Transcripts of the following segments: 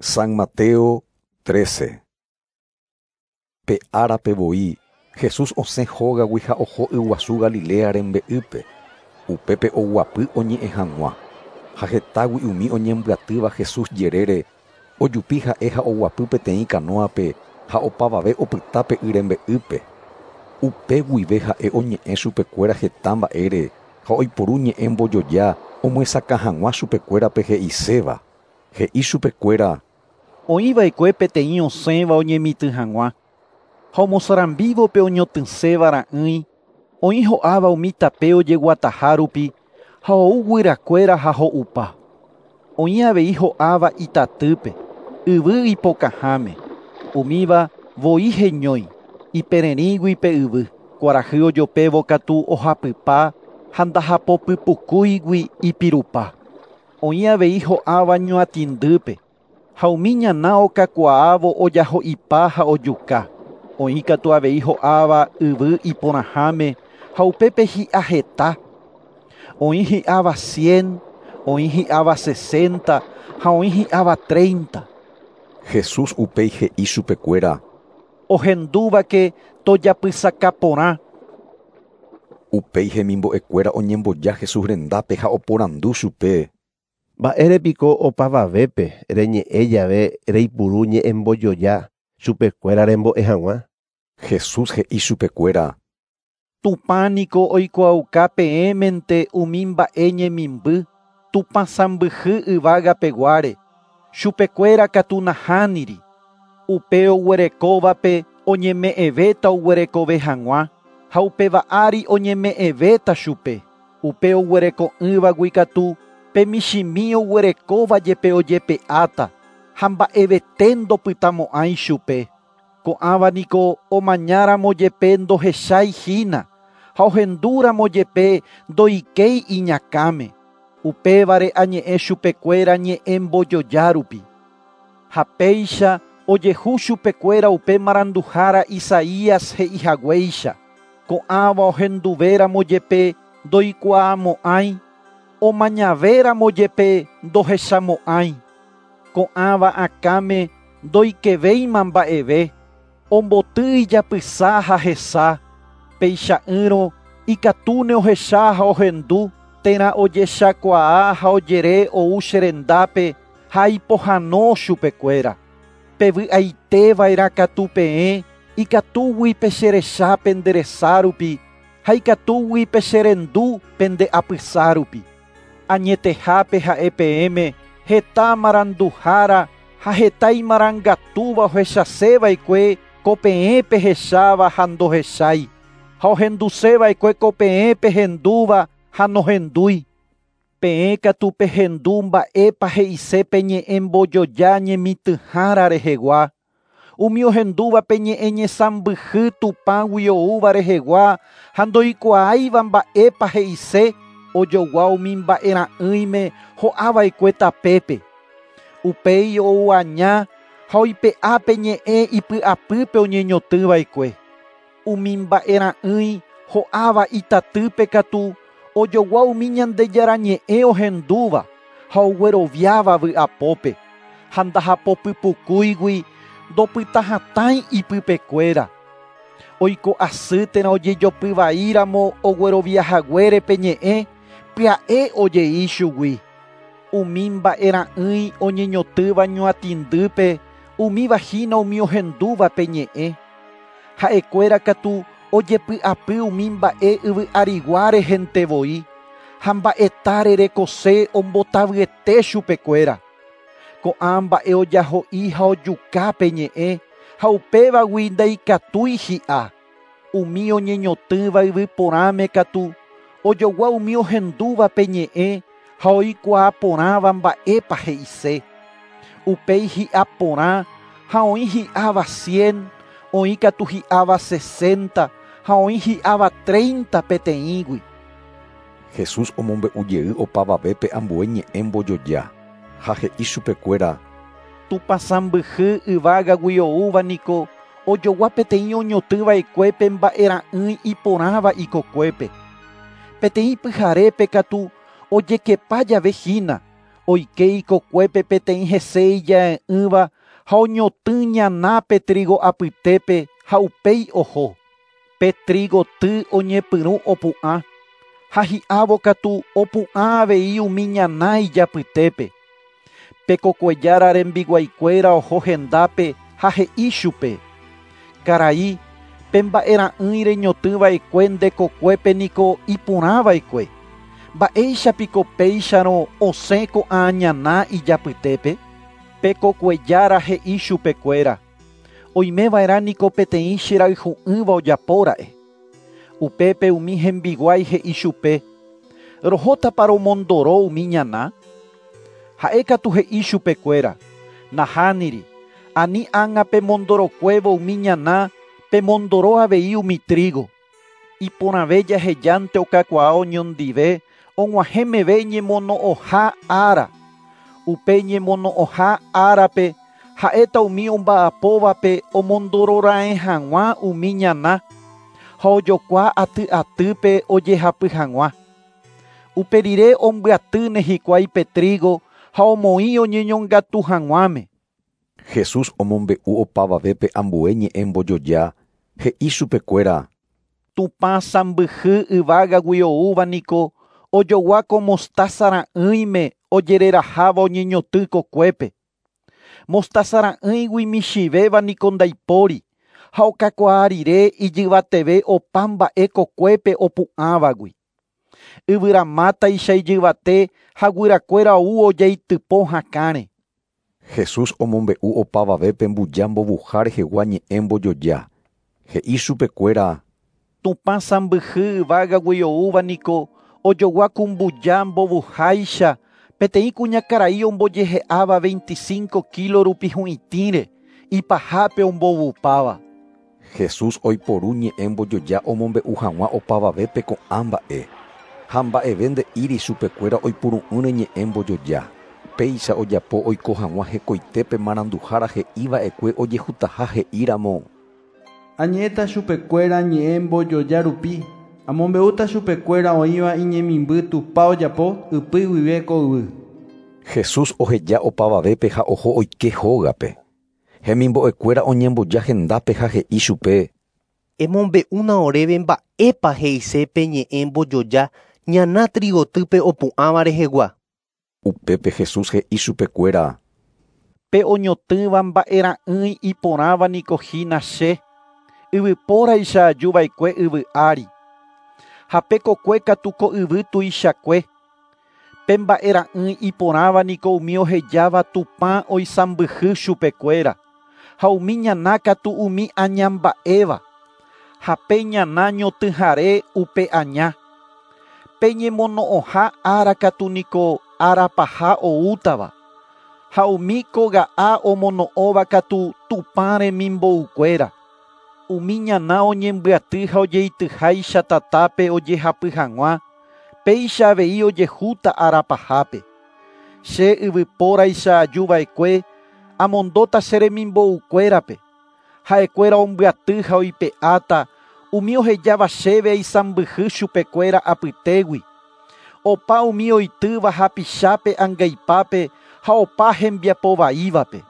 San Mateo 13. Pe árape voi, Jesús osẽ hógagui ha oho yguasu Galilea rembe'ýpe. Upépe oguapy oñe'ẽ hag̃ua. Ha hetágui umi oñembyatýva Jesús jerére, ojupi ha'e ha oguapy peteĩ kanóape ha opavave opyta pe y rembe'ýpe. Upe guive ha'e oñe'ẽ chupekuéra heta mba'ére ha oiporu ñe'ẽ mbojoja omyesakã hag̃ua chupekuérape he'iséva. He'i chupekuéra: Oĩva'ekue peteĩ osẽva oñemitỹ hag̃ua ha omosarambívo pe oñotỹséva ra'ỹi, oĩ ho'áva umi tape ojeguataha rupi ha ou guyrakuéra ha ho'upa. Oĩ avei ho'áva itatýpe, yvy ipokãháme, umíva voi heñói, ipererĩgui pe yvy, kuarahy ojopévo katu ohapypa ha ndahapopypukúigui ipirupa. Oĩ avei ho'áva ñuatĩndýpe, ha umi ñana okakuaávo ojaho'ipa ha ojuka. Oĩ katu avei ho'áva yvy iporãháme ha upépe hi'a heta. Oĩ hi'áva 100, oĩ hi'áva 60 ha oĩ hi'áva 30. Jesús upéi he'i chupekuéra: Ohendúvake tojapysaka porã. Upéi hemimbo'ekuéra oñemboja Jesús rendápe ha oporandu chupe: Mba'érepiko opavavépe reñe'ẽ jave reipuru ñe'ẽmbojoja chupekuéra rembo'e hag̃ua. Jesús he'i chupekuéra: Tupã niko oikuaauka peẽmente umi mba'e ñemimby, Tupã sãmbyhy yvágapeguáre, chupekuéra katu nahániri. Upe oguerekóvape oñeme'ẽvéta oguerekove hag̃ua, ha upéva ári oñeme'ẽvéta chupe. Upe oguereko'ỹvagui katu pe michĩmi oguerekóva jepe ojepe'áta ha mba'evete ndopytamo'ãi chupe. Ko'ãva niko omañáramo jepe ndohechái hína ha ohendúramo jepe ndoikéi iñakãme. Upévare añe'ẽ chupekuéra ñe'ẽ mbojoja rupi. Ha péicha ojehu chupekuéra upe maranduhára Isaías he'ihaguéicha. Ko'ãva ohenduvéramo jepe ndoikuaamo'ãi, omañavéramo jepe ndohechamo'ãi. Ko'ãva akãme ndoikevéima mba'eve, omboty ijapysa ha hesa, peicha'ỹrõ ikatúne ohecha ha ohendu térã ojechakuaa ha ojere ou cherendápe ha ipohãno chupekuéra. Pevy'aiteva'erã katu peẽ ikatúgui pecherecha pende resa rupi ha ikatúgui pecherendu pende apysa rupi. Añetehápe ha'e peẽme heta maranduhára ha heta imarangatúva ohechaseva'ekue ko peẽ pehecháva ha ndohechái, ha ohenduseva'ekue ko peẽ pehendúva ha nohendúi. Peẽ katu pehendu mba'épa he'ise pe ñe'ẽ mbojoja ñemitỹhára rehegua. Umi ohendúva pe ñe'ẽ ñesãmbyhy Tupãgui oúva rehegua ha ndoikuaáiva mba'épa he'ise ojogua umi mba'e ra'ỹime ho'ava'ekue tapépe. Upéi ou aña ha oipe'a pe ñe'ẽ ipy'apýpe oñeñotỹva'ekue. Umi mba'e ra'ỹi ho'áva itatýpe katu ojogua umi Ñandejára ñe'ẽ ohendúva ha ogueroviáva vy'apópe ha ndahapopypukúigui ndopytahatãi ipypekuéra. Oiko asy térã ojejopyvaíramo ogueroviahaguére pe ñe'ẽ pya'e ojei chugui. Umi mba'e ra'ỹi oñeñotỹva ñuatĩndýpe umíva hína umi ohendúva pe ñe'ẽ. Ha'ekuéra katu ojepy'apy umi mba'e yvy'arigua rehente voi ha mba'etáre rekose ombotavyete chupekuéra. Ko'ã mba'e ojaho'i ha ojuka pe ñe'ẽ ha upévagui ndaikatúi hi'a. Umi oñeñotỹva yvy porãme katu ojogua umi ohendúva pe ñe'ẽ ha oikuaa porãva mba'épa he'ise. Upéi hi'a porã ha oĩ hi'áva 100, oĩ katu hi'áva 60 ha oĩ hi'áva 30 peteĩgui. Jesús omombe'u jey opavavépe ambue ñe'ẽ mbojoja ha he'i chupekuéra: Tupã sãmbyhy yvágagui oúva niko ojogua peteĩ oñotỹva'ekue pe mba'e ra'ỹi iporãva ikokuépe. Peteĩ pyharépe katu ojekepa jave hína, Oike ikokuépe peteĩ hese ija'e'ỹva ha oñotỹ ñana pe trigo apytépe ha upéi oho. Pe trigo ty oñepyrũ opu'ã ha hi'ávo katu opu'ã avei umi ñana ijapytépe. Pe kokuejára rembiguaikuéra oho hendápe ha he'i chupe: Karai, pe mba'era'ỹi reñotỹva'ekue nde kokuépe niko iporãva'ekue. Mba'éichapiko péicharõ osẽ ko'ã ñana ijapytépe? Pe kokuejára he'i chupekuéra: Oimeva'erã niko peteĩ cherayhu'ỹva ojapóra'e. Upépe umi hembiguái he'i chupe: Rohótapa romondoro umi ñana? Ha'e katu he'i chupekuéra: Nahániri, ani ág̃a pemondorokuévo umi ñana, pemondoro avei umi trigo. Iporãve jahejánte okakuaa oñondive og̃uahẽ meve ñemono'õha ára. Upe ñemono'õha árape ha'éta umi omba'apóvape omondororaẽ hag̃ua umi ñana ha ojokua aty atýpe ojehapy hag̃ua. Upe rire ombyatýne hikuái pe trigo ha omoĩ oñeñongatu hag̃uáme. Jesús omombe'u opavavépe ambue ñe'ẽ mbojoja he'i chupekuéra: Tupã sãmbyhy yvágagui oúva niko ojogua ko mostaza ra'ỹime ojereraháva oñeñotỹ kokuépe. Mostaza ra'ỹigui michĩvéva niko ndaipóri ha okakuaa rire ijyvateve opa mba'e kokuépe opu'ãvagui. Yvyramátaicha ijyvate ha guyrakuéra ou ojaitypo hakãre. Jesús omombe'u opavavépe mbuja mbovuha rehegua ñe'ẽ mbojoja. He'i chupekuéra: Tupã sãmbyhy yvágagui oúva niko ojogua ku mbuja mbovuháicha peteĩ kuñakarai ombojehe'áva 25 kilo rupi hu'itĩre ipahápe ombovupáva. Jesús oiporu ñe'ẽ mbojoja omombe'u hag̃ua opavavépe ko'ã mba'e. Ha mba'eve nde'íri chupekuéra oipuru'ỹre ñe'ẽ mbojoja. Péicha ojapo oiko hag̃ua hekoitépe maranduhára he'iva'ekue ojehutaha he'íramo: Añe'ẽta chupekuéra ñe'ẽ mbojoja rupi, amombe'úta chupekuéra oĩva iñemimby Tupã ojapo ypy guive ko yvy. Jesús oheja opavavépe ha oho oike hógape. Hemimbo'ekuéra oñemboja hendápe ha he'i chupe: Emombe'úna oréve mba'épa he'ise pe ñe'ẽ mbojoja ñana trigotýpe opu'ãva rehegua. Upépe Jesús he'i chupekuéra: Pe oñotỹva mba'era'ỹi iporãva niko hína che, yvypóraicha ajuva'ekue yvy ári. Ha pe kokue katu ko yvy tuichakue. Pe mba'era'ỹi iporãva niko umi ohejáva Tupã oisãmbyhy chupekuéra, ha umi ñana katu umi añamba'éva. Ha pe ñana ñotỹhare upe aña. Pe ñemono'õha ára katu niko ára paha oútava. Ha umi koga'a omono'õva katu Tupã remimboukuéra. Umi ñana oñembyaty ha ojeityháicha tatápe ojehapy hag̃ua, péicha avei ojehúta ára pahápe. Che yvypóraicha ajuva'ekue amondóta che remimboukuérape. Ha'ekuéra ombyaty ha oipe'áta umi ohejáva chéve aisãmbyhy chupekuéra apytégui. Opa umi oitýva hapichápe angaipápe ha opa hembiapovaívape.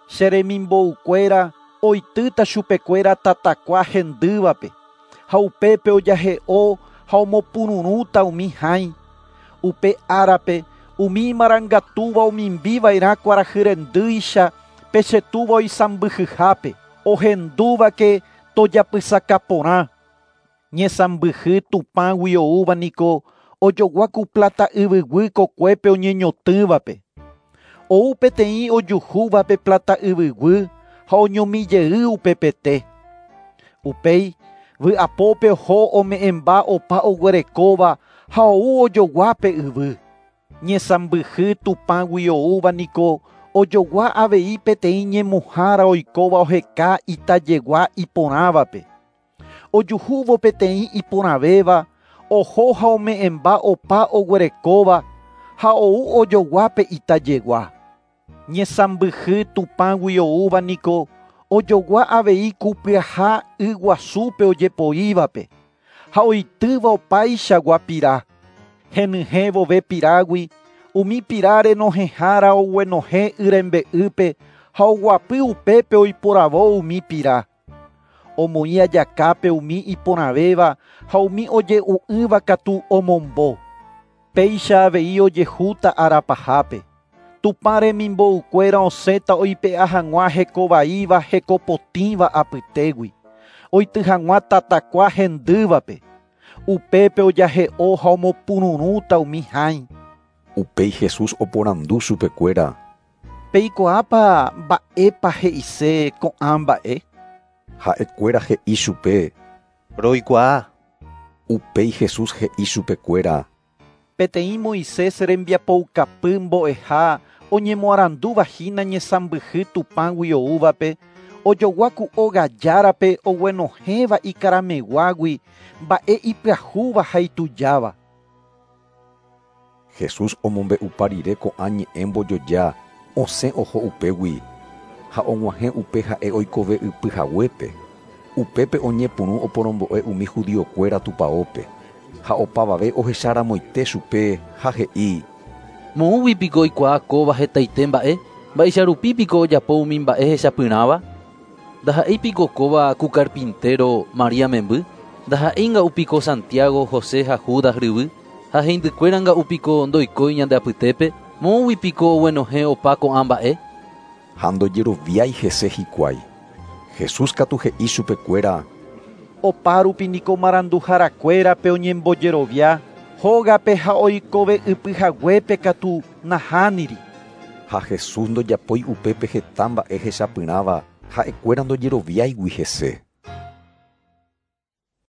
Che remimboukuéra oitýta chupekuéra tatakua hendývape, ha upépe ojahe'o ha omopururũta umi hãi. Upe árape umi imarangatúva omimbiva'erã kuarahy rendýicha pe chetúva oisãmbyhyhápe, ohendúvake tojapysaka porã. Ñesãmbyhy Tupãgui oúva niko ojogua ku plata yvyguy kokuépe oñeñotỹvape. Ou peteĩ ojuhúvape plata yvyguy ha oñomijey upepete. Upéi vy'apópe oho ome'ẽmba opa oguerekóva ha ou ojoguápe yvy. Ñesãmbyhy Tupãgui oúva niko ojogua avei peteĩ ñemuhára oikóva oheka itajegua iporãvape. Ojuhúvo peteĩ iporãvéva oho ha ome'ẽmba opa oguerekóva ha ou ojoguápe itajegua. Ñesãmbyhy Tupãgui oúva niko ojogua avei kupyaha yguasúpe ojepoívape ha oitýva opaichagua pira. Henyhẽ vove pirágui Umi pira renohẽhára oguenohẽ y rembe'ýpe ha oguapy upépe oiporavo umi pira. Omoĩ ajakápe umi iporãvéva ha umi oje'u'ỹva katu omombo. Péicha avei ojehúta arapahápe. Tupã remimboukuéra osẽta oipe'a hag̃ua hekovaíva hekopotĩva apytégui. Oity hag̃ua tatakua hendývape. Upépe ojahe'o ha omopururũta umi hãi. Upéi Jesús oporandu chupekuéra. Peikuaápa mba'épa he'ise ko'ã mba'e? Ha'ekuéra he'i chupe. Roikuaa. Upéi Jesús he'i chupekuéra. Peteĩ Moisés rembiapoukapy mbo'eha oñemoarandúva hína ñesãmbyhy Tupãgui oúvape ojogua ku óga járape oguenohẽva ikarameguágui mba'e ipyahúva ha itujáva. Jesús omombe'upa rire ko'ã ñe'ẽ mbojoja osẽ oho upégui ha og̃uahẽ upe ha'e oikove ypy haguépe. Upépe oñepyrũ oporombo'e umi judiokuéra tupãópe ha opavave ohecharamoite chupe ha he'i: Moõgui piko oikuaa kóva hetaite mba'e? Mba'eicharupi piko ojapo umi mba'e hechapyrãva? Ndaha'éi piko kóva ku carpintero María memby? Ndaha'éi nga'u Santiago, José ha Judas ryvy? Ha heindykuéra nga'u piko ndoikói ñande apytépe? Moõgui piko oguenohẽ opa ko'ã mba'e? Ha ndojeroviái hese hikuái. Jesús katu he'i chupekuéra. Opárupi niko maranduharakuérape oñembojerovia, hógape ha oikove ypy haguépe katu nahániri. Ha Jesús ndojapói upépe heta mba'e hechapyrãva ha'ekuéra ndojeroviáigui hese.